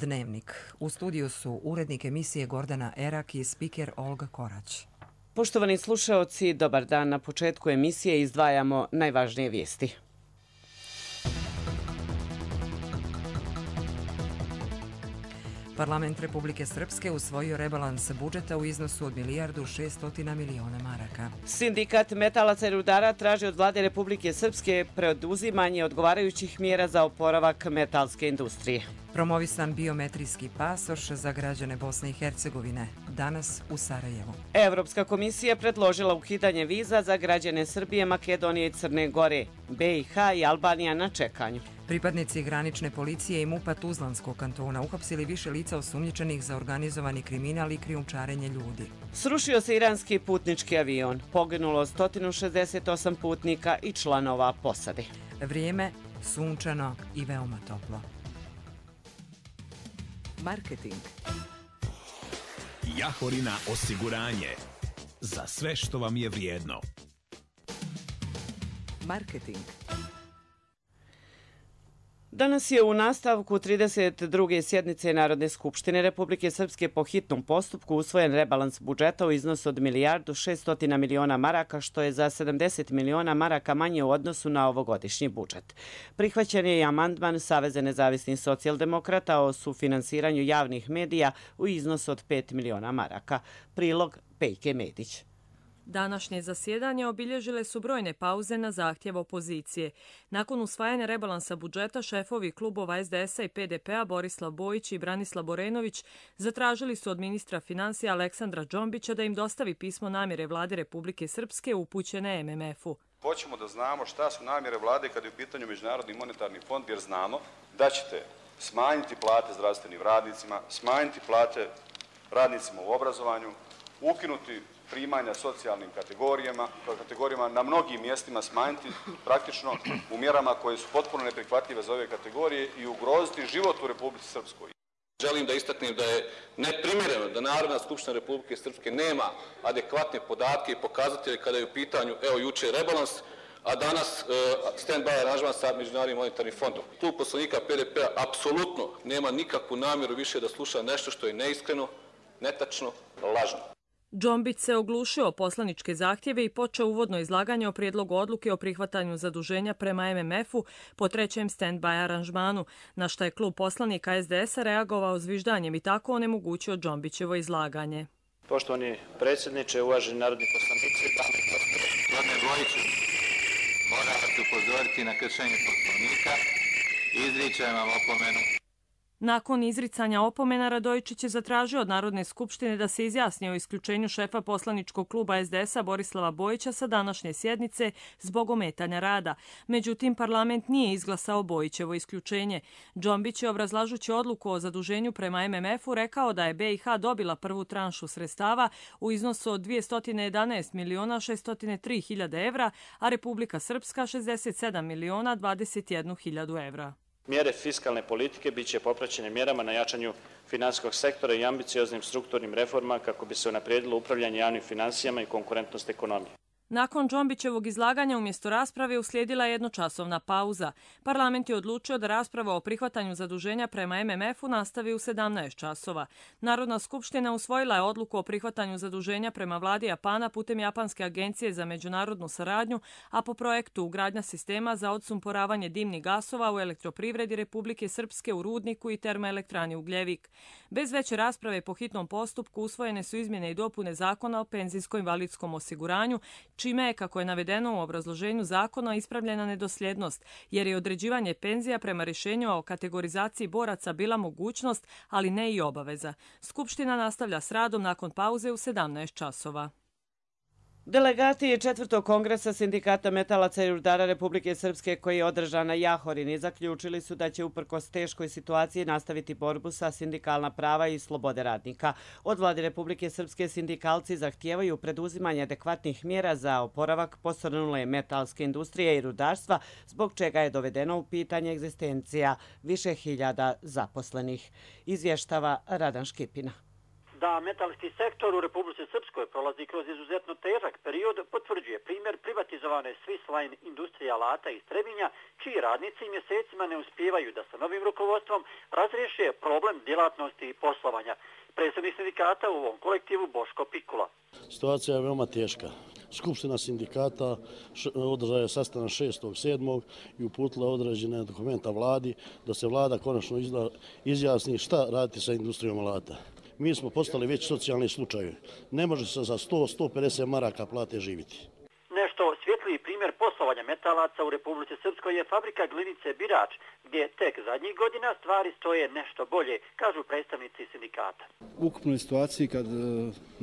Dnevnik. U studiju su urednik emisije Gordana Erak i spiker Olga Korać. Poštovani slušaoci, dobar dan. Na početku emisije izdvajamo najvažnije vijesti. Parlament Republike Srpske usvojio rebalans budžeta u iznosu od 1.600.000.000 maraka. Sindikat metalaca i rudara traži od vlade Republike Srpske preduzimanje odgovarajućih mjera za oporavak metalske industrije. Promovisan biometrijski pasoš za građane Bosne i Hercegovine. Danas u Sarajevu. Evropska komisija predložila ukidanje viza za građane Srbije, Makedonije i Crne Gore. BiH i Albanija na čekanju. Pripadnici granične policije i MUP-a Tuzlanskog kantona uhapsili više lica osumnjičenih za organizovani kriminal i krijumčarenje ljudi. Srušio se iranski putnički avion. Poginulo 168 putnika i članova posade. Vrijeme sunčano i veoma toplo. Marketing. Jahorina osiguranje. Za sve što vam je vrijedno. Marketing. Danas je u nastavku 32. sjednice Narodne skupštine Republike Srpske po hitnom postupku usvojen rebalans budžeta u iznosu od 1.600.000.000 maraka, što je za 70 miliona maraka manje u odnosu na ovogodišnji budžet. Prihvaćen je i amandman Saveza nezavisnih socijaldemokrata o sufinansiranju javnih medija u iznosu od 5 miliona maraka. Prilog Pejke Medić. Današnje zasjedanje obilježile su brojne pauze na zahtjev opozicije. Nakon usvajanja rebalansa budžeta, šefovi klubova SDS-a i PDP-a Borislav Bojić i Branislav Borenović zatražili su od ministra finansija Aleksandra Džombića da im dostavi pismo namjere vlade Republike Srpske upućene MMF-u. Hoćemo da znamo šta su namjere vlade kada je u pitanju Međunarodni monetarni fond, jer znamo da ćete smanjiti plate zdravstvenim radnicima, smanjiti plate radnicima u obrazovanju, ukinuti primanja socijalnim kategorijama na mnogim mjestima, smanjiti praktično u mjerama koje su potpuno neprihvatljive za ove kategorije i ugroziti život u Republici Srpskoj. Želim da istaknem da je neprimjereno da Narodna skupština Republike Srpske nema adekvatne podatke i pokazatelje kada je u pitanju, evo juče rebalans, a danas stand-by aranžman sa Međunarodnim monetarnim fondom. Klub poslanika PDP-a apsolutno nema nikakvu namjeru više da sluša nešto što je neiskreno, netačno, lažno. Džombić se oglušio o poslaničke zahtjeve i počeo uvodno izlaganje o prijedlogu odluke o prihvatanju zaduženja prema MMF-u po trećem stand-by aranžmanu, na što je klub poslanika SDS-a reagovao zviždanjem i tako onemogućio Džombićevo izlaganje. Poštovani predsjedniče, uvaženi narodni poslanici, dame i gospodo. Gospodine Bojiću, moram vas upozoriti na kršenje Poslovnika i izričem vam opomenu. Nakon izricanja opomena, Radojičić je zatražio od Narodne skupštine da se izjasni o isključenju šefa poslaničkog kluba SDS-a Borislava Bojića sa današnje sjednice zbog ometanja rada. Međutim, parlament nije izglasao Bojićevo isključenje. Džombić je, obrazlažući odluku o zaduženju prema MMF-u, rekao da je BiH dobila prvu tranšu sredstava u iznosu od 211.603.000 evra, a Republika Srpska 67.021.000 evra. Mjere fiskalne politike bit će popraćene mjerama na jačanju finansijskog sektora i ambicioznim strukturnim reformama kako bi se unaprijedilo upravljanje javnim financijama i konkurentnost ekonomije. Nakon Džombićevog izlaganja umjesto rasprave uslijedila je jednočasovna pauza. Parlament je odlučio da rasprava o prihvatanju zaduženja prema MMF-u nastavi u 17 časova. Narodna skupština usvojila je odluku o prihvatanju zaduženja prema vladi Japana putem Japanske agencije za međunarodnu saradnju, a po projektu ugradnja sistema za odsumporavanje dimnih gasova u elektroprivredi Republike Srpske u Rudniku i termoelektrani Ugljevik. Bez veće rasprave po hitnom postupku usvojene su izmjene i dopune Zakona o penzijsko-invalidskom osiguranju, čime je, kako je navedeno u obrazloženju zakona, ispravljena nedosljednost, jer je određivanje penzija prema rješenju o kategorizaciji boraca bila mogućnost, ali ne i obaveza. Skupština nastavlja s radom nakon pauze u 17 časova. Delegati četvrtog kongresa Sindikata metalaca i rudara Republike Srpske, koji je održan na Jahorini, zaključili su da će uprkos teškoj situaciji nastaviti borbu sa sindikalna prava i slobode radnika. Od vlade Republike Srpske sindikalci zahtijevaju preduzimanje adekvatnih mjera za oporavak posrnule metalske industrije i rudarstva, zbog čega je dovedeno u pitanje egzistencija više hiljada zaposlenih. Izvještava Radan Škipina. Da metalski sektor u Republici Srpskoj prolazi kroz izuzetno težak period potvrđuje primjer privatizovane Swiss Line industrije alata iz Trebinja, čiji radnici mjesecima ne uspijevaju da sa novim rukovodstvom razriješe problem djelatnosti i poslovanja. Predsjednik sindikata u ovom kolektivu Boško Pikula. Situacija je veoma teška. Skupština sindikata održala je sastanak 6.7. i uputila određene dokumenta vladi da se vlada konačno izjasni šta raditi sa industrijom alata. Mi smo postali već socijalni slučajevi. Ne može se za 100-150 maraka plate živjeti. Nešto svjetliji primjer poslovanja metalaca u Republici Srpskoj je fabrika glinice Birač, gdje tek zadnjih godina stvari stoje nešto bolje, kažu predstavnici sindikata. U ukupnoj situaciji kad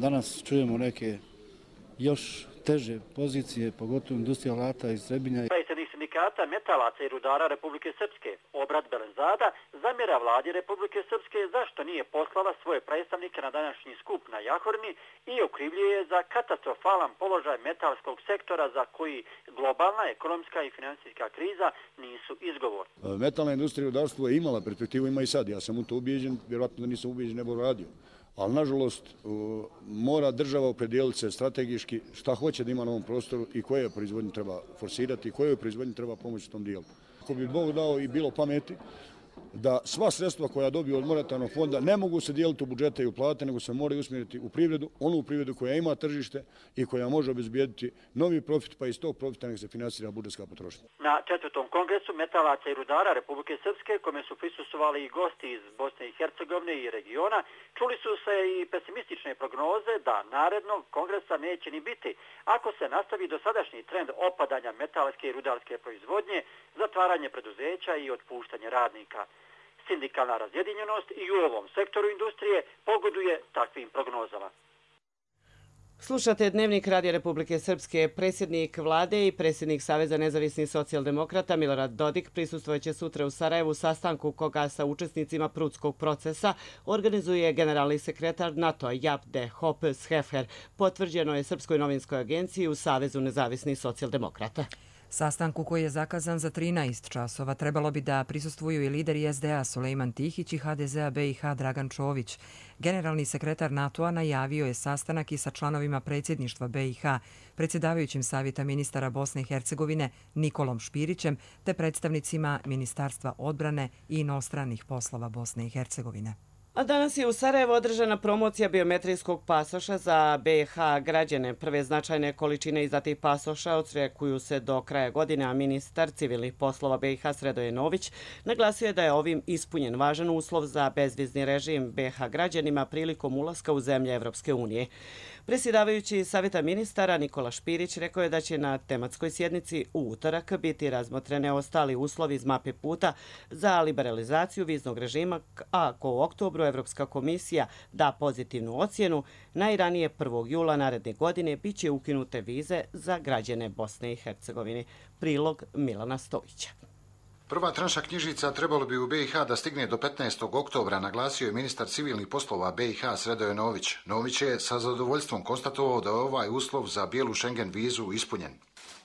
danas čujemo neke još teže pozicije, pogotovo industrija alata iz Trebinja. Predsjednik sindikata metalaca i rudara Republike Srpske, Obrad Belenzada, zamjera vladi Republike Srpske zašto nije poslala svoje predstavnike na današnji skup na Jahorni i okrivljuje je za katastrofalan položaj metalskog sektora za koji globalna ekonomska i financijska kriza nisu izgovor. Metalna industrija i rudarstvo je imala perspektivu, ima i sad. Ja sam u to ubijeđen, vjerojatno da nisam ubijeđen, ne bih radio. Ali, nažalost, mora država opredijeliti se strategijski šta hoće da ima na ovom prostoru i koje proizvodnje treba forsirati i koje proizvodnje treba pomoći u tom dijelu. Ako bi Bog dao i bilo pameti, da sva sredstva koja dobiju od monetarnog fonda ne mogu se dijeliti u budžete i u plate, nego se moraju usmjeriti u privredu, onu privredu koja ima tržište i koja može obezbijediti novi profit, pa iz tog profita nek se finansira budžetska potrošnja. Na 4. kongresu metalaca i rudara Republike Srpske, kome su prisustvovali i gosti iz Bosne i Hercegovine i regiona, čuli su se i pesimistične prognoze da narednog kongresa neće ni biti, ako se nastavi dosadašnji trend opadanja metalske i rudarske proizvodnje, zatvaranje preduzeća i otpuštanje radnika. Sindikalna razjedinjenost i u ovom sektoru industrije pogoduje takvim prognozama. Slušate Dnevnik Radija Republike Srpske. Predsjednik vlade i predsjednik Saveza nezavisnih socijaldemokrata Milorad Dodik prisustvojeće sutra u Sarajevu sastanku koga sa učesnicima Prudskog procesa organizuje generalni sekretar NATO-a Jaap de Hoop Scheffer. Potvrđeno je Srpskoj novinskoj agenciji u Savezu nezavisnih socijaldemokrata. Sastanku koji je zakazan za 13 časova trebalo bi da prisustvuju i lideri SDA Sulejman Tihić i HDZ-a BiH Dragan Čović. Generalni sekretar NATO-a najavio je sastanak i sa članovima predsjedništva BiH, predsjedavajućim Savjeta ministara Bosne i Hercegovine Nikolom Špirićem te predstavnicima Ministarstva odbrane i inostranih poslova Bosne i Hercegovine. A danas je u Sarajevu održana promocija biometrijskog pasoša za BiH građane. Prve značajne količine izdatih pasoša očekuju se do kraja godine, a ministar civilnih poslova BiH Sredoje Nović naglasio je da je ovim ispunjen važan uslov za bezvizni režim BiH građanima prilikom ulaska u zemlje Evropske unije. Predsjedavajući Savjeta ministara Nikola Špirić rekao je da će na tematskoj sjednici u utorak biti razmotrene ostali uslovi iz mape puta za liberalizaciju viznog režima, a ako u oktobru Evropska komisija da pozitivnu ocjenu, najranije 1. jula naredne godine bit će ukinute vize za građane Bosne i Hercegovine. Prilog Milana Stojića. Prva tranša knjižica trebalo bi u BiH da stigne do 15. oktobra, naglasio je ministar civilnih poslova BiH Sredoje Nović. Nović je sa zadovoljstvom konstatovao da je ovaj uslov za bijelu Schengen vizu ispunjen.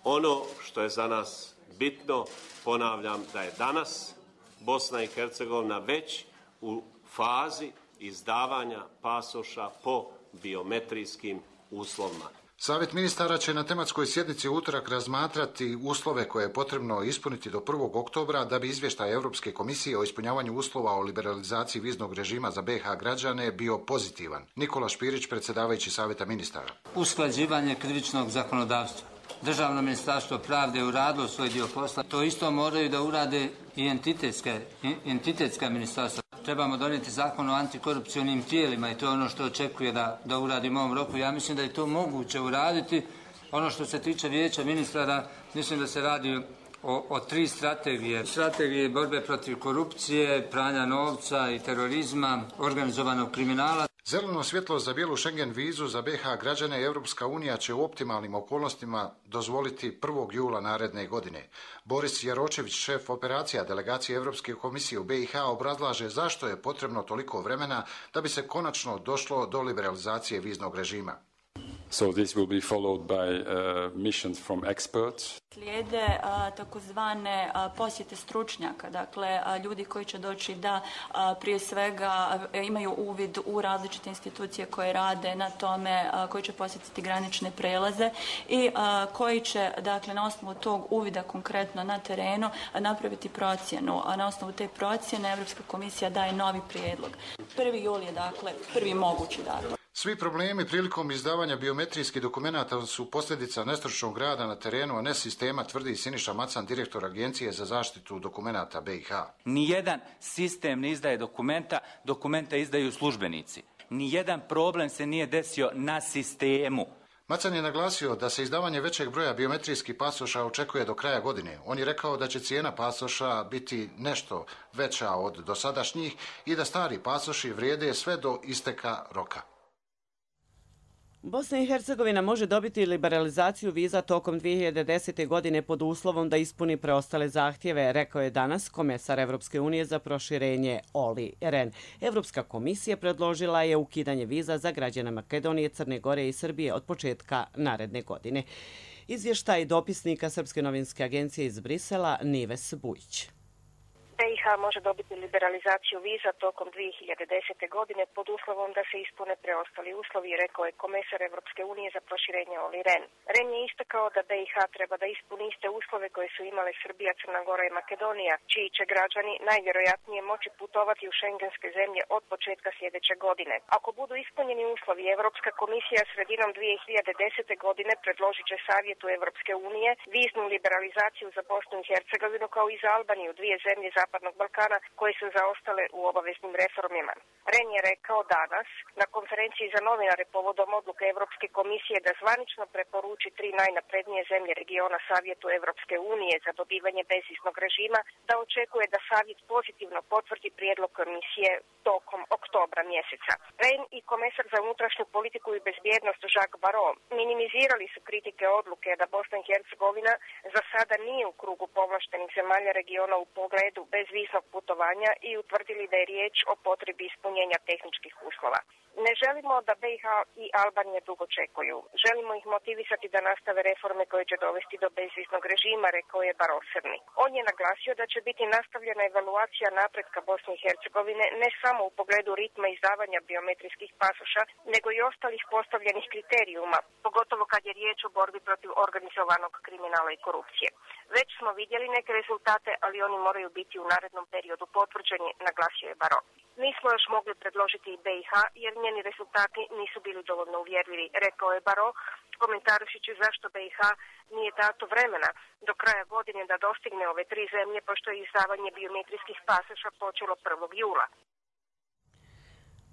Ono što je za nas bitno, ponavljam, da je danas Bosna i Hercegovina već u fazi izdavanja pasoša po biometrijskim uslovima. Savjet ministara će na tematskoj sjednici u utorak razmatrati uslove koje je potrebno ispuniti do 1. oktobra da bi izvještaj Europske komisije o ispunjavanju uslova o liberalizaciji viznog režima za BiH građane bio pozitivan. Nikola Špirić, predsjedavajući Savjeta ministara. Usklađivanje krivičnog zakonodavstva. Državno ministarstvo pravde je uradilo svoj dio posla. To isto moraju da urade i entitetska ministarstva. Trebamo donijeti zakon o antikorupcionim tijelima i to je ono što očekuje da uradimo u ovom roku. Ja mislim da je to moguće uraditi. Ono što se tiče vijeća ministara, mislim da se radi o 3 strategije. Strategije borbe protiv korupcije, pranja novca i terorizma, organizovanog kriminala. Zeleno svjetlo za bijelu Schengen vizu za BiH građane Evropska unija će u optimalnim okolnostima dozvoliti 1. jula naredne godine. Boris Jaročević, šef operacija delegacije Evropske komisije u BiH, obrazlaže zašto je potrebno toliko vremena da bi se konačno došlo do liberalizacije viznog režima. So this will be followed by missions from experts. Slijede takozvane posjete stručnjaka, dakle ljudi koji će doći da prije svega imaju uvid u različite institucije koje rade na tome, koji će posjetiti granične prelaze i koji će, dakle, na osnovu tog uvida konkretno na terenu napraviti procjenu, a na osnovu te procjene Europska komisija daje novi prijedlog. 1. jul je, dakle, prvi mogući datum. Svi problemi prilikom izdavanja biometrijskih dokumenata su posljedica nestručnog rada na terenu, a ne sistema, tvrdi Siniša Macan, direktor Agencije za zaštitu dokumenata BiH. Nijedan sistem ne izdaje dokumenta, dokumenta izdaju službenici. Nijedan problem se nije desio na sistemu. Macan je naglasio da se izdavanje većeg broja biometrijskih pasoša očekuje do kraja godine. On je rekao da će cijena pasoša biti nešto veća od dosadašnjih i da stari pasoši vrijede sve do isteka roka. Bosna i Hercegovina može dobiti liberalizaciju viza tokom 2010. godine pod uslovom da ispuni preostale zahtjeve, rekao je danas komesar Evropske unije za proširenje Olli Rehn. Evropska komisija predložila je ukidanje viza za građane Makedonije, Crne Gore i Srbije od početka naredne godine. Izvještaj dopisnika Srpske novinske agencije iz Brisela Nives Bujić. BiH može dobiti liberalizaciju viza tokom 2010. godine pod uslovom da se ispune preostali uslovi, rekao je komesar Evropske unije za proširenje Olli Rehn. Rehn je istakao da BiH treba da ispuni iste uslove koje su imale Srbija, Crna Gora i Makedonija, čiji će građani najvjerojatnije moći putovati u šengenske zemlje od početka sljedeće godine. Ako budu ispunjeni uslovi, Evropska komisija sredinom 2010. godine predložit će Savjetu Evropske unije viznu liberalizaciju za Bosnu i Hercegovinu kao i za Albaniju, dvije zemlje Zapadnog Balkana koje su zaostale u obaveznim reformima. Rehn je rekao danas na konferenciji za novinare povodom odluke Evropske komisije da zvanično preporuči 3 najnaprednije zemlje regiona Savjetu Evropske unije za dobivanje bezviznog režima, da očekuje da Savjet pozitivno potvrdi prijedlog komisije tokom oktobra mjeseca. Rehn i komesar za unutrašnju politiku i bezbjednost Jacques Barrot minimizirali su kritike odluke da Bosna i Hercegovina za sada nije u krugu povlaštenih zemalja regiona u pogledu bezviznog putovanja i utvrdili da je riječ o potrebi ispunjenja tehničkih uslova. Ne želimo da BiH i Albanija dugo čekuju. Želimo ih motivisati da nastave reforme koje će dovesti do bezviznog režima, rekao je Barrot Srni. On je naglasio da će biti nastavljena evaluacija napretka Bosne i Hercegovine ne samo u pogledu ritma izdavanja biometrijskih pasoša, nego i ostalih postavljenih kriterijuma, pogotovo kad je riječ o borbi protiv organizovanog kriminala i korupcije. Već smo vidjeli neke rezultate, ali oni moraju biti u narednom periodu potvrđeni, naglasio je Barrot. Nismo još mogli predložiti i BiH jer njeni rezultati nisu bili dovoljno uvjerljivi, rekao je Barrot, komentarujući zašto BiH nije dato vremena do kraja godine da dostigne ove 3 zemlje, pošto je izdavanje biometrijskih pasoša počelo 1. jula.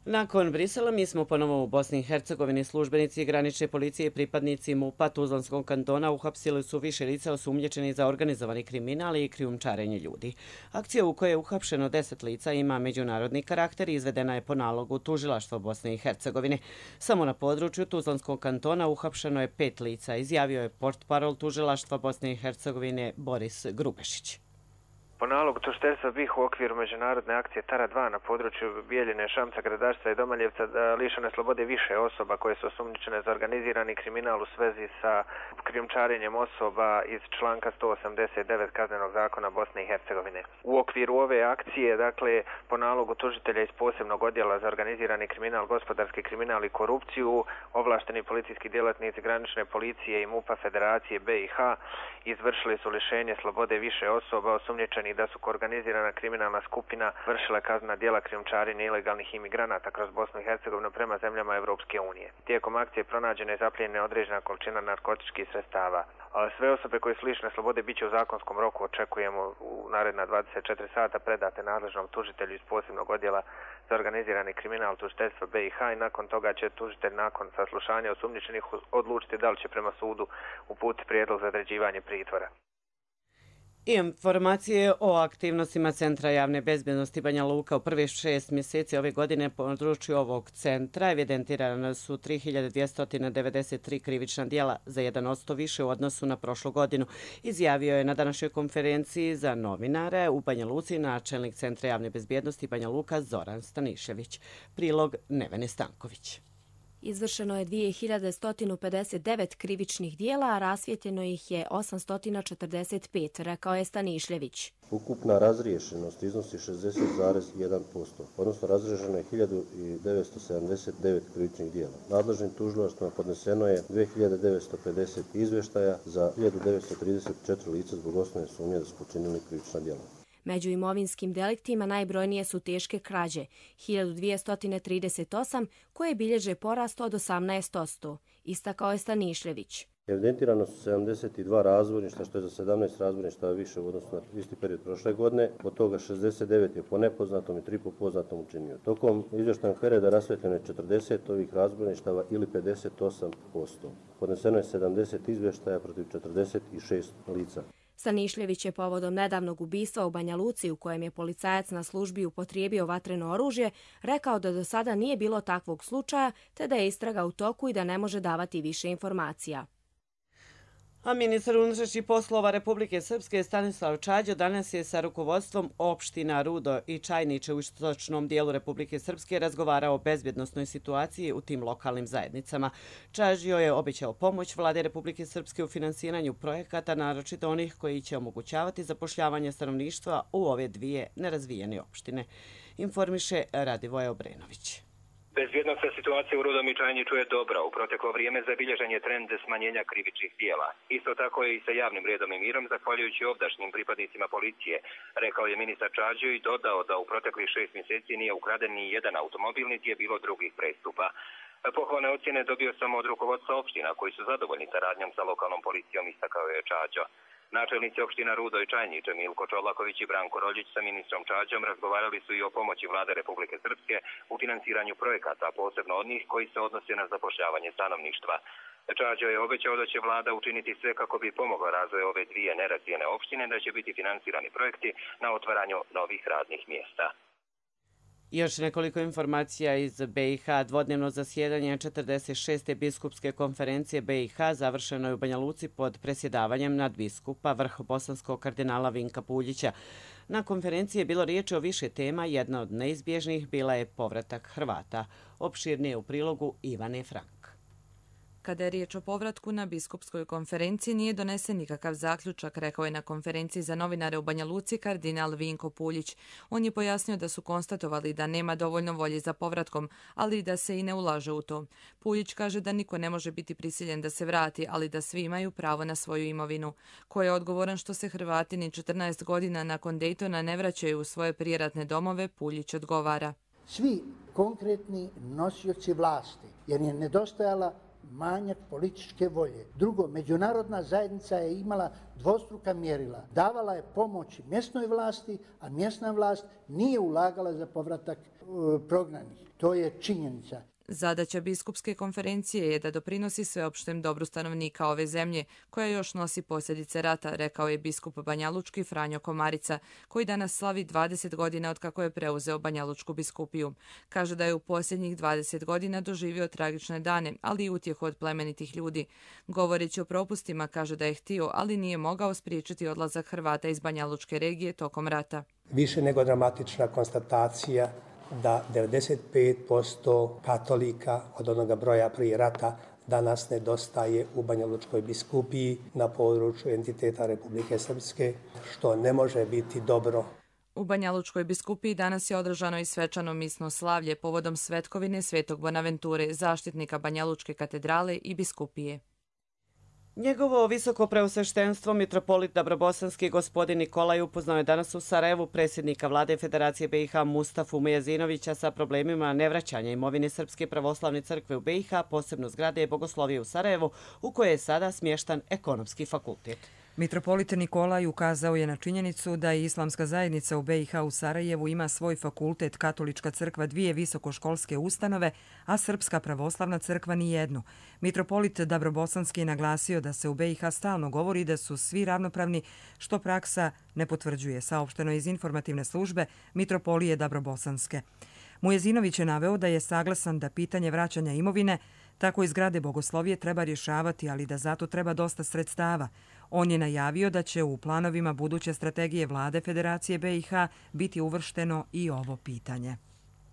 Nakon Brisela mi smo ponovo u Bosni i Hercegovini. Službenici granične policije i pripadnici MUP-a Tuzlanskog kantona uhapsili su više lica osumnjičeni za organizovani kriminal i krijumčarenje ljudi. Akcija u kojoj je uhapšeno 10 lica ima međunarodni karakter i izvedena je po nalogu Tužilaštva Bosne i Hercegovine. Samo na području Tuzlanskog kantona uhapšeno je 5 lica, izjavio je portparol Tužilaštva Bosne i Hercegovine Boris Grubešić. Po nalogu tužiteljstva BiH u okviru međunarodne akcije Tara 2 na području Bijeljine, Šamca, Gradašca i Domaljevca lišene slobode više osoba koje su osumnjičene za organizirani kriminal u svezi sa krijumčarenjem osoba iz članka 189 Kaznenog zakona Bosne i Hercegovine. U okviru ove akcije, dakle, po nalogu tužitelja iz posebnog odjela za organizirani kriminal, gospodarski kriminal i korupciju, ovlašteni policijski djelatnici granične policije i MUP-a Federacije BiH izvršili su lišenje slobode više osoba osumnjičenih da su organizirana kriminalna skupina vršila kaznena djela krijumčarenja ilegalnih imigranata kroz Bosnu i Hercegovinu prema zemljama Evropske unije. Tijekom akcije pronađena i zaplijenjena određena količina narkotičkih sredstava. Sve osobe koje su lišene slobode biće u zakonskom roku, očekujemo u naredna 24 sata predate nadležnom tužitelju iz posebnog odjela za organizirani kriminal tužiteljstva BiH i nakon toga će tužitelj nakon saslušanja osumnjičenih odlučiti da li će prema sudu uputiti prijedlog za određivanje pritvora. I informacije o aktivnostima Centra javne bezbjednosti Banja Luka u prvih 6 mjeseci ove godine po području ovog centra evidentirane su 3293 krivična djela, za 1% više u odnosu na prošlu godinu, izjavio je na današnjoj konferenciji za novinare u Banja Luci načelnik Centra javne bezbjednosti Banja Luka Zoran Stanišević. Prilog Nevene Stanković. Izvršeno je 2159 krivičnih dijela, a rasvijetljeno ih je 845, rekao je Stanišljević. Ukupna razriješenost iznosi 60,1%, odnosno razriješeno je 1979 krivičnih dijela. Nadležnim tužilaštvima podneseno je 2950 izvještaja za 1934 lica zbog osnovne sumnje da su počinili krivična dijela. Među imovinskim deliktima najbrojnije su teške krađe, 1238, koje bilježe porast od 18%, istakao je Stanišljević. Evidentirano su 72 razbojništva, što je za 17 razbojništava više u odnosu na isti period prošle godine, od toga 69 je po nepoznatom i 3 po poznatom učinio. Tokom izvještajnog perioda rasvetljeno je 40 ovih razbojništava ili 58%. Podneseno je 70 izvještaja protiv 46 lica. Stanišljević je povodom nedavnog ubistva u Banja Luci, u kojem je policajac na službi upotrijebio vatreno oružje, rekao da do sada nije bilo takvog slučaja, te da je istraga u toku i da ne može davati više informacija. A ministar unutrašnjih poslova Republike Srpske Stanislav Čađo danas je sa rukovodstvom opština Rudo i Čajniče u istočnom dijelu Republike Srpske razgovarao o bezbjednosnoj situaciji u tim lokalnim zajednicama. Čađo je obećao pomoć vlade Republike Srpske u finansiranju projekata, naročito onih koji će omogućavati zapošljavanje stanovništva u ove dvije nerazvijene opštine. Informiše Radivoje Obrenović. Bezbjednosna situacija u Rudom i Čajniču je dobra. U proteklo vrijeme zabilježen je trend smanjenja krivičnih dijela. Isto tako je i sa javnim redom i mirom, zahvaljujući ovdašnjim pripadnicima policije, rekao je ministar Čađo i dodao da u proteklih 6 mjeseci nije ukraden ni jedan automobil, niti je bilo drugih prestupa. Pohvalne ocjene dobio sam od rukovodstva opština koji su zadovoljni saradnjom sa lokalnom policijom, istakao je Čađo. Načelnici opština Rudo i Čajniče Milko Čolaković i Branko Roljić sa ministrom Čađom razgovarali su i o pomoći vlade Republike Srpske u finansiranju projekata, posebno od njih koji se odnose na zapošljavanje stanovništva. Čađo je obećao da će vlada učiniti sve kako bi pomogla razvoju ove dvije nerazvijene opštine, da će biti finansirani projekti na otvaranju novih radnih mjesta. Još nekoliko informacija iz BiH. Dvodnevno zasjedanje 46. biskupske konferencije BiH završeno je u Banja Luci pod presjedavanjem nadbiskupa vrhobosanskog kardinala Vinka Puljića. Na konferenciji je bilo riječi o više tema, jedna od neizbježnih bila je povratak Hrvata. Opširnije u prilogu Ivane Frank. Kada je riječ o povratku na biskupskoj konferenciji, nije donesen nikakav zaključak, rekao je na konferenciji za novinare u Banja Luci kardinal Vinko Puljić. On je pojasnio da su konstatovali da nema dovoljno volje za povratkom, ali i da se i ne ulaže u to. Puljić kaže da niko ne može biti prisiljen da se vrati, ali da svi imaju pravo na svoju imovinu. Ko je odgovoran što se Hrvati ni 14 godina nakon Dejtona ne vraćaju u svoje prijeratne domove, Puljić odgovara. Svi konkretni nosioci vlasti, jer je nedostajala manjak političke volje. Drugo, međunarodna zajednica je imala dvostruka mjerila. Davala je pomoć mjesnoj vlasti, a mjesna vlast nije ulagala za povratak prognanih. To je činjenica. Zadaća biskupske konferencije je da doprinosi sveopštem dobru stanovnika ove zemlje, koja još nosi posljedice rata, rekao je biskup banjalučki Franjo Komarica, koji danas slavi 20 godina od kako je preuzeo banjalučku biskupiju. Kaže da je u posljednjih 20 godina doživio tragične dane, ali i utjehu od plemenitih ljudi. Govoreći o propustima, kaže da je htio, ali nije mogao spriječiti odlazak Hrvata iz banjalučke regije tokom rata. Više nego dramatična konstatacija da 95% katolika od onoga broja prije rata danas nedostaje u Banjalučkoj biskupiji na području entiteta Republike Srpske, što ne može biti dobro. U Banjalučkoj biskupiji danas je održano i svečano misno slavlje povodom svetkovine Svetog Bonaventure, zaštitnika Banjalučke katedrale i biskupije. Njegovo visoko preosveštenstvo mitropolit Dabrobosanski gospodin Nikolaj upoznao je danas u Sarajevu predsjednika vlade Federacije BiH Mustafu Mejazinovića sa problemima nevraćanja imovine Srpske pravoslavne crkve u BiH, posebno zgrade Bogoslovije u Sarajevu, u kojoj je sada smještan ekonomski fakultet. Mitropolit Nikolaj ukazao je na činjenicu da i islamska zajednica u BiH u Sarajevu ima svoj fakultet, Katolička crkva 2 visokoškolske ustanove, a Srpska pravoslavna crkva ni jednu. Mitropolit Dabrobosanski je naglasio da se u BiH stalno govori da su svi ravnopravni, što praksa ne potvrđuje, saopšteno iz informativne službe Mitropolije Dabrobosanske. Mujezinović je naveo da je saglasan da pitanje vraćanja imovine tako i zgrade Bogoslovije treba rješavati, ali da zato treba dosta sredstava. On je najavio da će u planovima buduće strategije vlade Federacije BiH biti uvršteno i ovo pitanje.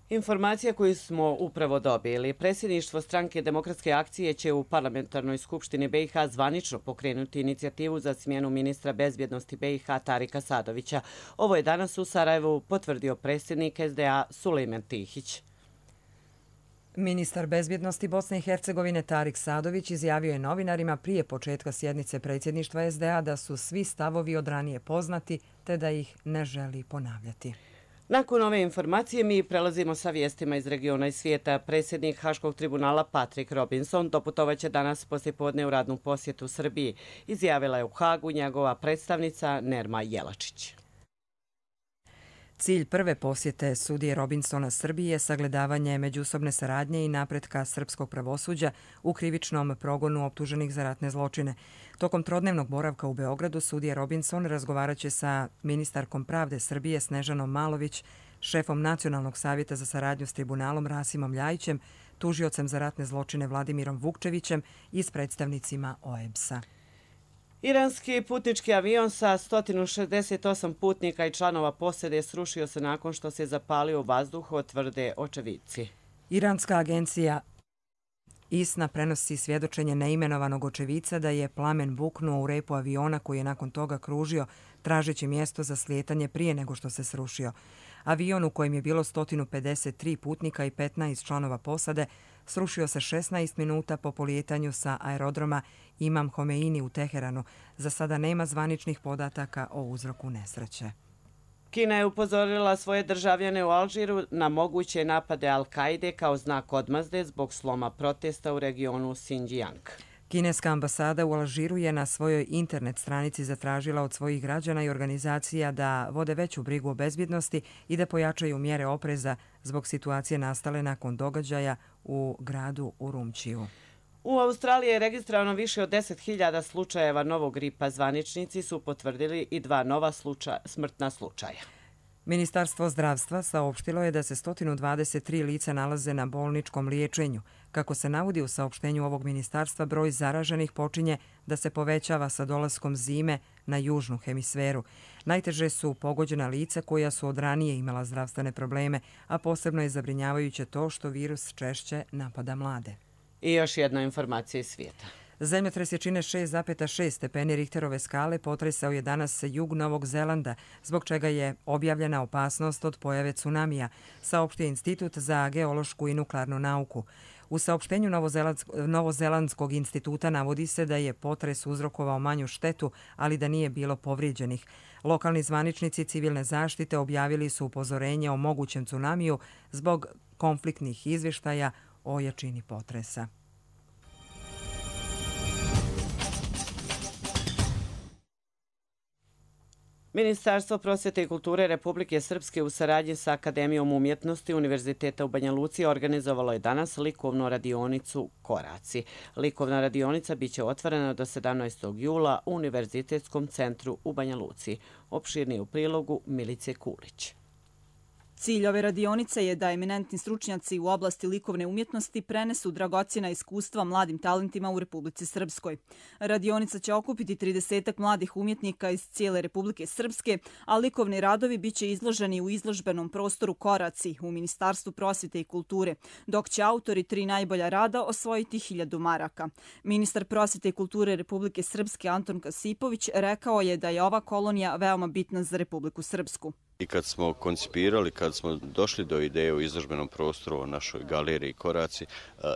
Informacija koju smo upravo dobili. Predsjedništvo stranke Demokratske akcije će u parlamentarnoj skupštini BiH zvanično pokrenuti inicijativu za smjenu ministra bezbjednosti BiH Tarika Sadovića. Ovo je danas u Sarajevu potvrdio predsjednik SDA Sulejman Tihić. Ministar bezbjednosti Bosne i Hercegovine Tarik Sadović izjavio je novinarima prije početka sjednice predsjedništva SDA da su svi stavovi od ranije poznati te da ih ne želi ponavljati. Nakon ove informacije mi prelazimo sa vijestima iz regiona i svijeta. Predsjednik Haškog tribunala Patrick Robinson doputovaće danas poslijepodne u radnu posjetu Srbiji. Izjavila je u Hagu njegova predstavnica Nerma Jelačić. Cilj prve posjete sudije Robinsona Srbiji je sagledavanje međusobne saradnje i napretka srpskog pravosuđa u krivičnom progonu optuženih za ratne zločine. Tokom trodnevnog boravka u Beogradu sudija Robinson razgovaraće sa ministarkom pravde Srbije Snežanom Malović, šefom Nacionalnog savjeta za saradnju s tribunalom Rasimom Ljajićem, tužiocem za ratne zločine Vladimirom Vukčevićem i s predstavnicima OEBS-a. Iranski putnički avion sa 168 putnika i članova posade srušio se nakon što se zapalio u vazduhu, tvrde očevidci. Iranska agencija ISNA prenosi svjedočenje neimenovanog očevica da je plamen buknuo u repu aviona koji je nakon toga kružio tražeći mjesto za slijetanje prije nego što se srušio. Avion u kojem je bilo 153 putnika i 15 članova posade srušio se 16 minuta po polijetanju sa aerodroma Imam Homeini u Teheranu. Za sada nema zvaničnih podataka o uzroku nesreće. Kina je upozorila svoje državljane u Alžiru na moguće napade Al-Kaide kao znak odmazde zbog sloma protesta u regionu Xinjiang. Kineska ambasada u Alžiru je na svojoj internet stranici zatražila od svojih građana i organizacija da vode veću brigu o bezbjednosti i da pojačaju mjere opreza zbog situacije nastale nakon događaja u gradu Urumčiju. U Australiji je registrovano više od 10.000 slučajeva novog gripa. Zvaničnici su potvrdili i 2 nova smrtna slučaja. Ministarstvo zdravstva saopštilo je da se 123 lica nalaze na bolničkom liječenju. Kako se navodi u saopštenju ovog ministarstva, broj zaraženih počinje da se povećava sa dolaskom zime na južnu hemisferu. Najteže su pogođena lica koja su od ranije imala zdravstvene probleme, a posebno je zabrinjavajuće to što virus češće napada mlade. I još jedna informacija iz svijeta. Zemljotres jačine 6,6 stepeni Richterove skale potresao je danas jug Novog Zelanda, zbog čega je objavljena opasnost od pojave tsunamija, saopštio Institut za geološku i nuklearnu nauku. U saopštenju Novozelandskog instituta navodi se da je potres uzrokovao manju štetu, ali da nije bilo povrijeđenih. Lokalni zvaničnici civilne zaštite objavili su upozorenje o mogućem tsunamiju zbog konfliktnih izvještaja o jačini potresa. Ministarstvo prosvjete i kulture Republike Srpske u saradnji sa Akademijom umjetnosti Univerziteta u Banja Luci organizovalo je danas likovnu radionicu Koraci. Likovna radionica biće otvorena do 17. jula u Univerzitetskom centru u Banja Luci. Opširnije u prilogu Milice Kulić. Cilj ove radionice je da eminentni stručnjaci u oblasti likovne umjetnosti prenesu dragocjena iskustva mladim talentima u Republici Srpskoj. Radionica će okupiti 30 mladih umjetnika iz cijele Republike Srpske, a likovni radovi biće izloženi u izložbenom prostoru Koraci u Ministarstvu prosvjete i kulture, dok će autori 3 najbolja rada osvojiti 1000 maraka. Ministar prosvjete i kulture Republike Srpske Anton Kasipović rekao je da je ova kolonija veoma bitna za Republiku Srpsku. I kad smo koncipirali, kad smo došli do ideje o izložbenom prostoru, o našoj galeriji Koraci,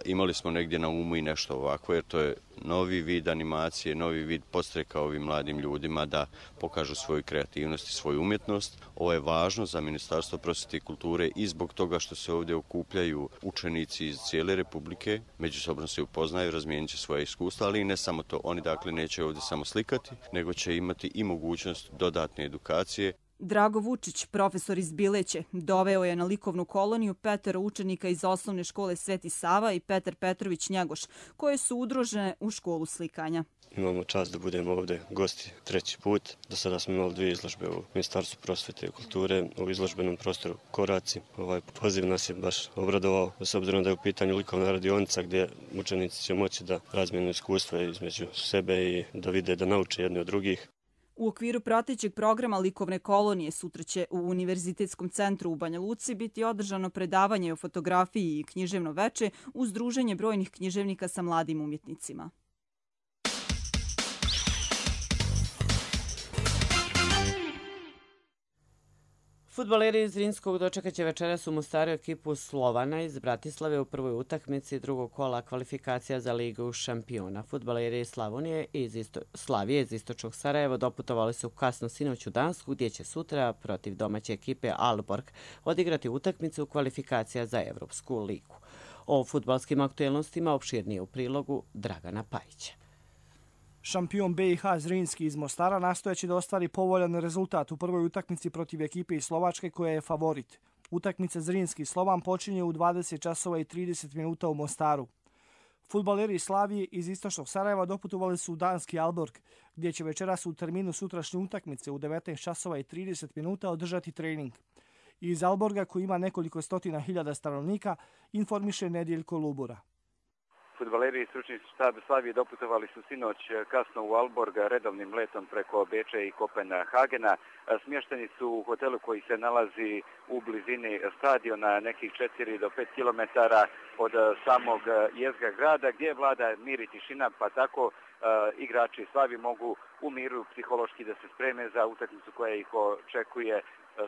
imali smo negdje na umu i nešto ovako, jer to je novi vid animacije, novi vid podstreka ovim mladim ljudima da pokažu svoju kreativnost i svoju umjetnost. Ovo je važno za Ministarstvo prosvjete i kulture i zbog toga što se ovdje okupljaju učenici iz cijele Republike, međusobno se upoznaju, razmijenit će svoje iskustva, ali i ne samo to. Oni dakle neće ovdje samo slikati, nego će imati i mogućnost dodatne edukacije. Drago Vučić, profesor iz Bileće, doveo je na likovnu koloniju 5 učenika iz osnovne škole Sveti Sava i Petar Petrović Njegoš, koje su udružene u školu slikanja. Imamo čast da budemo ovdje gosti 3. put. Do sada smo imali 2 izložbe u Ministarstvu prosvjete i kulture u izložbenom prostoru Koraci. Ovaj poziv nas je baš obradovao, s obzirom da je u pitanju likovna radionica gdje učenici će moći da razmijenu iskustva između sebe i da vide, da nauče jedni od drugih. U okviru pratećeg programa likovne kolonije sutra će u Univerzitetskom centru u Banja Luci biti održano predavanje o fotografiji i književno veče uz druženje brojnih književnika sa mladim umjetnicima. Fudbaleri iz Zrinskog dočekaće večeras u Mostaru ekipu Slovana iz Bratislave u prvoj utakmici drugog kola kvalifikacija za Ligu šampiona. Fudbaleri iz Slavije iz istočnog Sarajeva doputovali su kasno sinoć u Dansku, gdje će sutra protiv domaće ekipe Aalborg odigrati utakmicu kvalifikacija za Evropsku ligu. O fudbalskim aktuelnostima opširnije u prilogu Dragana Pajića. Šampion BiH Zrinski iz Mostara nastojeći da ostvari povoljan rezultat u prvoj utakmici protiv ekipe iz Slovačke koja je favorit. Utakmica Zrinski Slovan počinje u 20 časova i 30 minuta u Mostaru. Fudbaleri iz Slavije iz istočnog Sarajeva doputovali su u danski Aalborg, gdje će večeras u terminu sutrašnje utakmice u 19 časova i 30 minuta održati trening. Iz Aalborga, koji ima nekoliko stotina hiljada stanovnika, informiše Nedjeljko Lubura. Fudbaleri i stručni štab Slavije doputovali su sinoć kasno u Aalborg redovnim letom preko Beča i Kopenhagena. Smješteni su u hotelu koji se nalazi u blizini stadiona, nekih 4 do 5 km od samog jezgra grada, gdje vlada mir i tišina, pa tako igrači Slavije mogu u miru psihološki da se spreme za utakmicu koja ih očekuje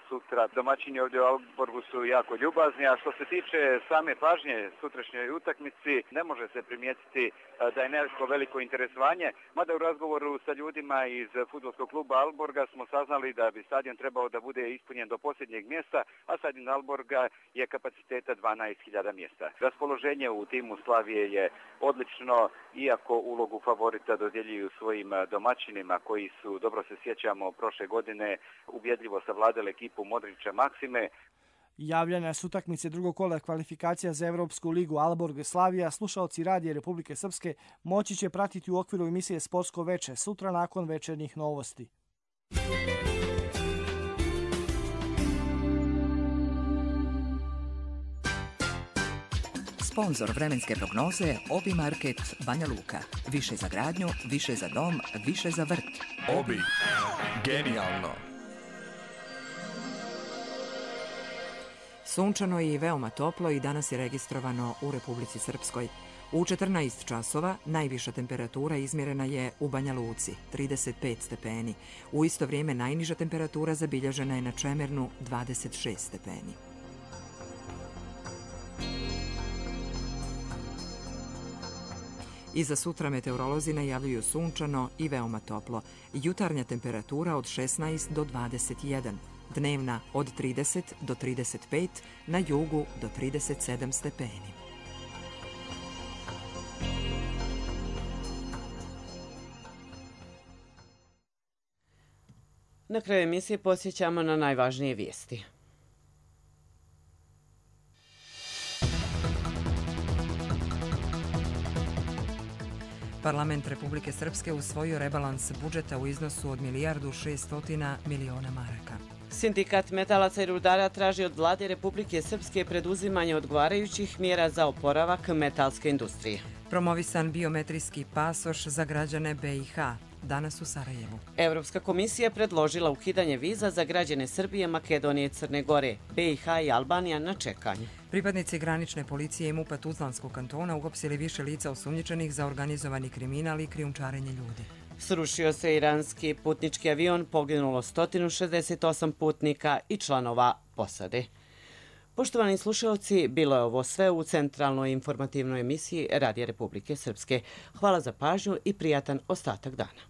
sutra. Domaćini ovdje u Aalborgu su jako ljubazni, a što se tiče same pažnje sutrašnjoj utakmici, ne može se primijetiti da je neko veliko interesovanje, mada u razgovoru sa ljudima iz fudbalskog kluba Aalborga smo saznali da bi stadion trebao da bude ispunjen do posljednjeg mjesta, a stadion Aalborga je kapaciteta 12.000 mjesta. Raspoloženje u timu Slavije je odlično, iako ulogu favorita dodjeljuju svojim domaćinima koji su, dobro se sjećamo, prošle godine ubjedljivo savladali ekipu Modrića Maksime. Javljanja s utakmice drugog kola kvalifikacija za Evropsku ligu Aalborg Slavija slušaoci Radija Republike Srpske moći će pratiti u okviru emisije Sportsko veče sutra nakon večernjih novosti. Sponzor vremenske prognoze Obi Market Banja Luka. Više za gradnju, više za dom, više za vrt. Obi. Genijalno. Sunčano i veoma toplo i danas je registrovano u Republici Srpskoj. U 14 časova najviša temperatura izmjerena je u Banja Luci, 35 stepeni. U isto vrijeme najniža temperatura zabilježena je na Čemernu, 26 stepeni. I za sutra meteorolozi najavljuju sunčano i veoma toplo. Jutarnja temperatura od 16 do 21. Dnevna od 30 do 35, na jugu do 37 stepeni. Na kraju emisije posjećamo na najvažnije vijesti. Parlament Republike Srpske usvojio rebalans budžeta u iznosu od 1.600.000.000 maraka. Sindikat metalaca i rudara traži od vlade Republike Srpske preduzimanje odgovarajućih mjera za oporavak metalske industrije. Promovisan biometrijski pasoš za građane BiH. Danas u Sarajevu. Evropska komisija predložila ukidanje viza za građane Srbije, Makedonije i Crne Gore. BiH i Albanija na čekanju. Pripadnici granične policije i MUP-a Tuzlanskog kantona uhapsili više lica osumnjičenih za organizovani kriminal i krijumčarenje ljudi. Srušio se iranski putnički avion, poginulo 168 putnika i članova posade. Poštovani slušalci, bilo je ovo sve u centralnoj informativnoj emisiji Radija Republike Srpske. Hvala za pažnju i prijatan ostatak dana.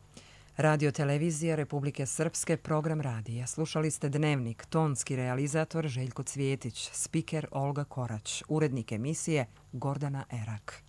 Radio televizija Republike Srpske, program radija. Slušali ste Dnevnik, tonski realizator Željko Cvjetić, spiker Olga Korać, urednik emisije Gordana Erak.